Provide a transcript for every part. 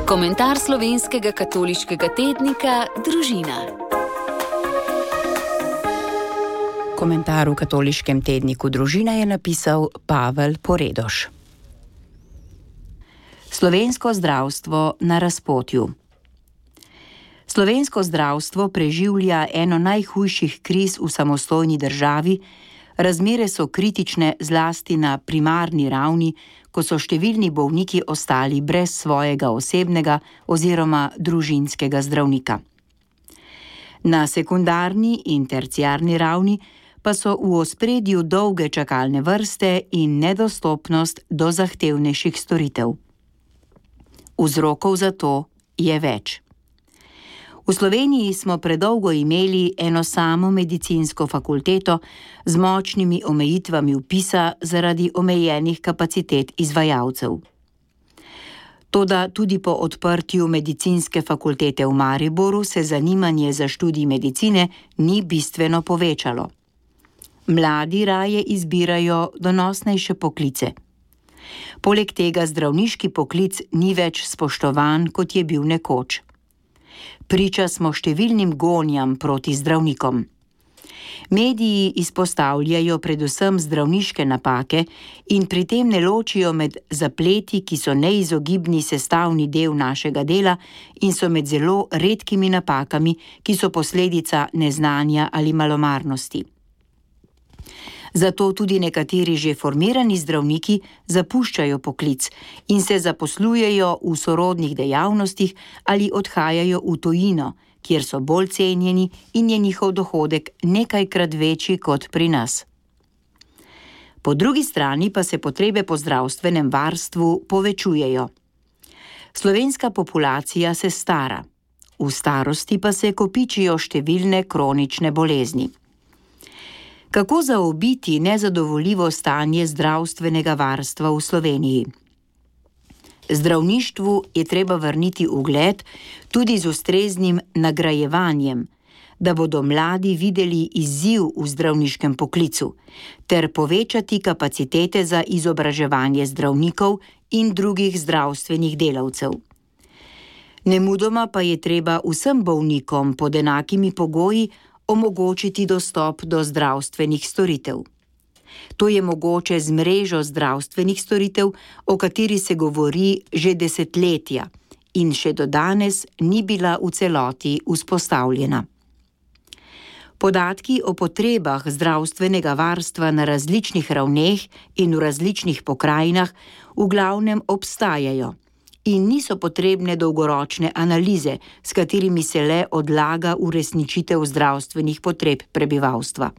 Komentar slovenskega katoliškega tednika Družina. Komentar v katoliškem tedniku Družina je napisal Pavel Poredoš. Slovensko zdravstvo na razpotju. Slovensko zdravstvo preživlja eno najhujših kriz v samostojni državi. Razmere so kritične zlasti na primarni ravni, ko so številni bolniki ostali brez svojega osebnega oziroma družinskega zdravnika. Na sekundarni in terciarni ravni pa so v ospredju dolge čakalne vrste in nedostopnost do zahtevnejših storitev. Vzrokov za to je več. V Sloveniji smo predolgo imeli eno samo medicinsko fakulteto z močnimi omejitvami vpisa zaradi omejenih kapacitet izvajalcev. Toda tudi po odprtju medicinske fakultete v Mariboru se zanimanje za študij medicine ni bistveno povečalo. Mladi raje izbirajo donosnejše poklice. Poleg tega zdravniški poklic ni več spoštovan, kot je bil nekoč. Priča smo številnim gonjam proti zdravnikom. Mediji izpostavljajo predvsem zdravniške napake in pri tem ne ločijo med zapleti, ki so neizogibni sestavni del našega dela in so med zelo redkimi napakami, ki so posledica neznanja ali malomarnosti. Zato tudi nekateri že formirani zdravniki zapuščajo poklic in se zaposlujejo v sorodnih dejavnostih ali odhajajo v tujino, kjer so bolj cenjeni in je njihov dohodek nekajkrat večji kot pri nas. Po drugi strani pa se potrebe po zdravstvenem varstvu povečujejo. Slovenska populacija se stara, v starosti pa se kopičijo številne kronične bolezni. Kako zaobiti nezadovoljivo stanje zdravstvenega varstva v Sloveniji? Zdravništvu je treba vrniti ugled tudi z ustreznim nagrajevanjem, da bodo mladi videli izziv v zdravniškem poklicu, ter povečati kapacitete za izobraževanje zdravnikov in drugih zdravstvenih delavcev. Nemudoma pa je treba vsem bolnikom pod enakimi pogoji omogočiti dostop do zdravstvenih storitev. To je mogoče z mrežo zdravstvenih storitev, o kateri se govori že desetletja in še do danes ni bila v celoti vzpostavljena. Podatki o potrebah zdravstvenega varstva na različnih ravneh in v različnih pokrajinah v glavnem obstajajo in niso potrebne dolgoročne analize, s katerimi se le odlaga uresničitev zdravstvenih potreb prebivalstva.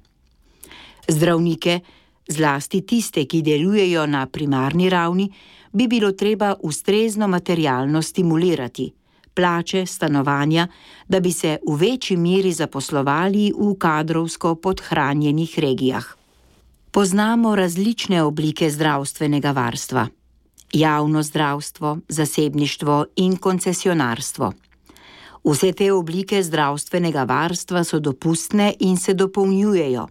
Zdravnike, zlasti tiste, ki delujejo na primarni ravni, bi bilo treba ustrezno materialno stimulirati, plače, stanovanja, da bi se v večji meri zaposlovali v kadrovsko podhranjenih regijah. Poznamo različne oblike zdravstvenega varstva. Javno zdravstvo, zasebništvo in koncesionarstvo. Vse te oblike zdravstvenega varstva so dopustne in se dopolnjujejo,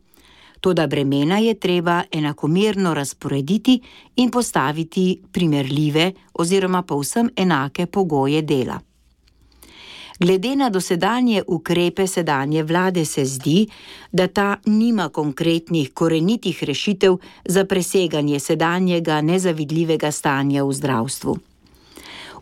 toda bremena je treba enakomerno razporediti in postaviti primerljive oziroma povsem enake pogoje dela. Glede na dosedanje ukrepe sedanje vlade se zdi, da ta nima konkretnih korenitih rešitev za preseganje sedanjega nezavidljivega stanja v zdravstvu.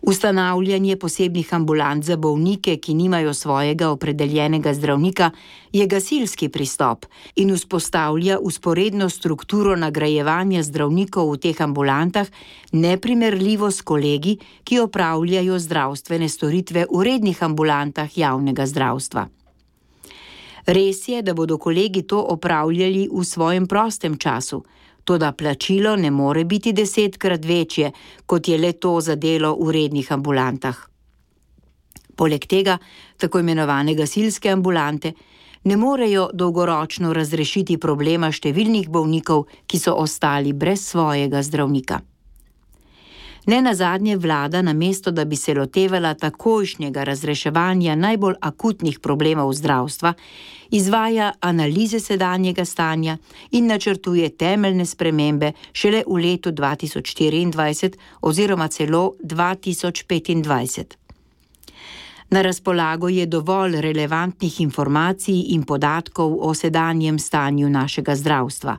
Ustanavljanje posebnih ambulant za bolnike, ki nimajo svojega opredeljenega zdravnika, je gasilski pristop in vzpostavlja vzporedno strukturo nagrajevanja zdravnikov v teh ambulantah, neprimerljivo s kolegi, ki opravljajo zdravstvene storitve v rednih ambulantah javnega zdravstva. Res je, da bodo kolegi to opravljali v svojem prostem času, toda plačilo ne more biti 10-krat večje, kot je le to za delo v rednih ambulantah. Poleg tega, tako imenovane gasilske ambulante ne morejo dolgoročno razrešiti problema številnih bolnikov, ki so ostali brez svojega zdravnika. Nenazadnje vlada, namesto da bi se lotevala takojšnjega razreševanja najbolj akutnih problemov zdravstva, izvaja analize sedanjega stanja in načrtuje temeljne spremembe šele v letu 2024 oziroma celo 2025. Na razpolago je dovolj relevantnih informacij in podatkov o sedanjem stanju našega zdravstva.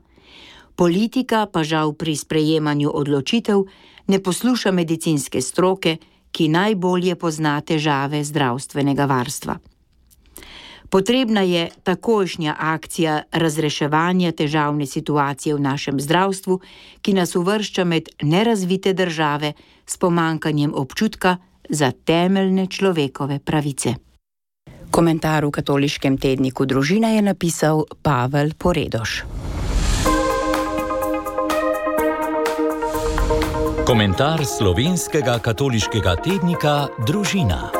Politika pa žal pri sprejemanju odločitev ne posluša medicinske stroke, ki najbolje pozna težave zdravstvenega varstva. Potrebna je takojšnja akcija razreševanja težavne situacije v našem zdravstvu, ki nas uvršča med nerazvite države s pomanjkanjem občutka za temeljne človekove pravice. Komentar v katoliškem tedniku Družina je napisal Pavel Poredoš. Komentar slovenskega katoliškega tednika Družina.